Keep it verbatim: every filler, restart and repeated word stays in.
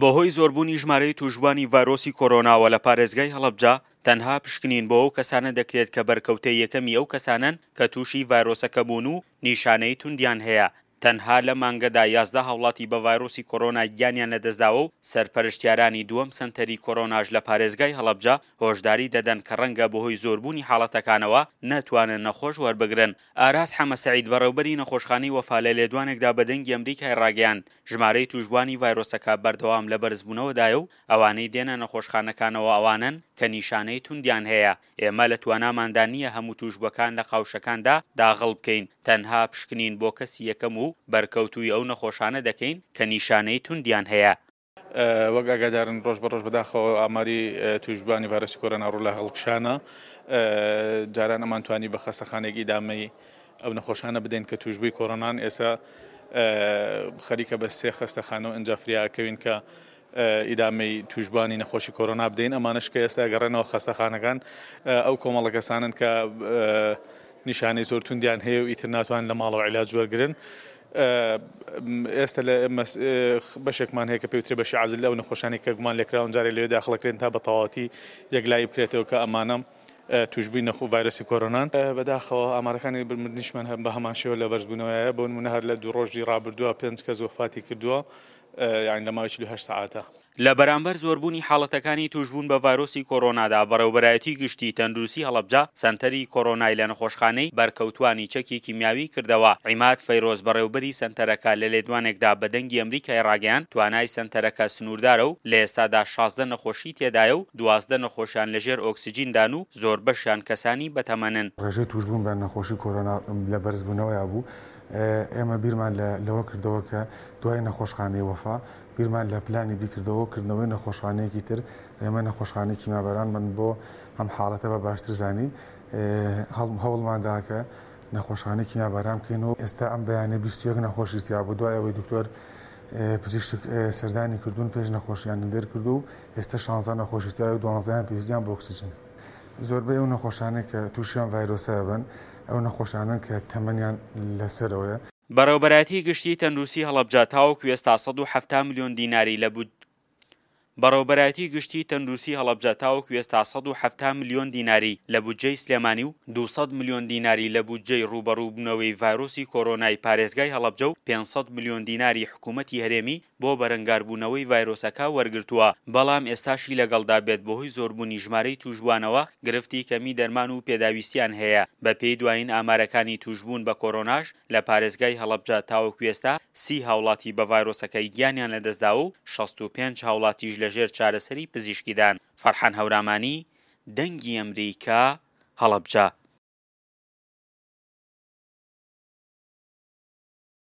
بەهۆی زۆربوونی ژمارەی تووشبووانی ڤایرۆسی کۆرۆناوە لە پارێزگای هەڵەبجە، تەنها پشکنین بۆ ئەو کەسانە دەکرێت کە بەرکەوتەی یەکەمی ئەو کەسانەن کە تووشی ڤایرۆسەکە بوون و نیشانەی توندیان هەیە. تەنها لەم مانگەدا یازدە هاوڵاتی بە ڤایرۆسی کۆرۆنا گیانیان لەدەستداوە و سەرپەرشتیارانی دووەم سەنتەری کۆرۆناش لە پارێزگای هەڵەبجە هۆشداری دەدەن کە ڕەنگە بەهۆی زۆربوونی حاڵەتەکانەوە نەتوانن نەخۆش وەربگرن. ئاراس حەمە سەعید بەڕێوبەری نەخۆشخانەی وەفا لە لێدوانێکدا بە دەنگی ئەمریکای ڕاگەیاند ژمارەی تووشبووانی ڤایرۆسەکە بەردەوام لە بەرزبوونەوەدایە و ئەوانەی دێنە نەخۆشخانەکانەوە ئەوانەن کە نیشانەی توندیان هەیە. ئێمە لە تواناماندا نییە هەموو تووشبووەکان لە قاوشەکاندا داغڵ بکەین، تەنها پشکنین بۆ کەسی یەکەم و بەرکەوتووی ئەو نەخۆشانە دەکەین کە نیشانەی توندیان هەیە. وەک ئاگادارن ڕۆژ بە ڕۆژ بەداخەوە ئاماری تووشبووانی ڤایرۆسی کۆرۆنا ڕوو لە هەڵکشانە. جاران ئەمانتوانی بە خەستەخانێک ئیدامەی ئەو نەخۆشانە بدەین کە تووشبووی کۆرۆنان، ئێستا خەریکە بە سێ خەستەخانە و ئینجا فریاکەوین کە ئیدامەی تووشبووانی نەخۆشی کۆرۆنا بدەین. ئەمانەش کە ئێستا گەڕێنەوە خەستەخانەکان ئەو کۆمەڵە کەسانن کە نیشانەی زۆر توندیان هەیە و ئیتر ناتوانن لە ماڵەوە عیلاج وەرگرن. ئێستا لە بەشێکمان هەیە کە پێوترێ بەشی عەزل ئەو نەخۆشانی کە گومان لێکراون جارێ لەوێ داخڵەکرێن تا بە تەواوەتی یەکلایی بکرێتەوە کە ئەمانە تووشبووی نەخۆ ڤایرۆسی کۆرۆنان. بەداخەوە ئامارەکانی مردنیشمان هەم بە هەمان شێوە لە بەرزبوونەوەیە. بۆ نمونە هەر لە دوو ڕۆژی ڕابردووە پێنج کەس وەفاتی کردووە، یعنی لە ماوەی چل و هەشت سەعاتە. لە بەرامبەر زۆربوونی حاڵەتەکانی تووشبوون بە ڤایرۆسی کۆرۆنادا بەڕێوبەرایەتی گشتی تەندروستی هەڵەبجە سەنتەری کۆرۆنای لە نەخۆشخانەی بەرکەوتوانی چەکی کیمیاوی کردەوە. عیماد فەیرۆز بەڕێوبەری سەنتەرەکە لە لێدوانێکدا بە دەنگی ئەمریکای ڕاگەیاند توانای سەنتەرەکە سنووردارە و لە ئێستادا شازدە نەخۆشی تێدایە و دوازدە نەخۆشیان لەژێر ئۆکسجیندان و زۆربەشیان کەسانی بەتەمەنن. ڕێژەی تووشبوون بە نەخۆشی کۆرۆنا لە بەرزبوونەوەیا بوو. ئێمە بیرمان لەوە کردەوە کە دوای نەخۆشخانەی وەفا بیرمان لە پلانی بیکردەوە کردنەوەی نەخۆشخانەیەکی تر. ئێمە نەخۆشخانەی کیمیابارانمان بۆ ئەم حاڵەتە بە باشتر زانی، هەوڵماندا کە نەخۆشخانەی کیمیاباران بکەین و ئێستا ئەم بەیانە بیست و یەک نەخۆشی تیا بوو. دوای ئەوەی دکتۆر پزیشک سەردانی کردوون پێش نەخۆشیان دەرکردو و ئێستا شانزە نەخۆشی تیا و دوانزەیان پێویستیان بۆ ئۆکسجین. زۆربەی ئەو نەخۆشانەی کە تووشیان ڤایرۆسە بن ئەو نەخۆشانن کە تەمەنیان لەسەرەوەیە. بەڕێوبەرایەتی گشتی تەندروستی هەڵەبجە تاوەکو ئێستا سەد و حەفتا ملیۆن دیناری لە بود بەڕێوبەرایەتی گشتی تەندروستی هەڵەبجە تاوەکو ئێستا سەد و حەفتا ملیۆن دیناری لە بودجەی سلێمانی و دوو سەد ملیۆن دیناری لە بودجەی ڕووبەڕووبوونەوەی ڤایرۆسی کۆرۆنای پارێزگای هەڵەبجە و پێنج سەد ملیۆن دیناری حکوومەتی هەرێمی بۆ بەرەنگاربوونەوەی ڤایرۆسەکە وەرگرتووە، بەڵام ئێستاشی لەگەڵدا بێت بەهۆی زۆربوونی ژمارەی تووشبووانەوە گرفتی کەمی دەرمان و پێداویستیان هەیە. بەپێی دوایین ئامارەکانی تووشبوون بە کۆرۆناش لە پارێزگای هەڵەبجە تاوەکو ئێستا سی هاوڵاتی بە ڤایرۆسەکەی گیانیان لەدەستداوە و شەست و پێنج هاوڵاتیش لەژێر چارەسەری پزیشکیدان. فەرحان هەورامانی، دەنگی ئەمریکا، هەڵەبجە.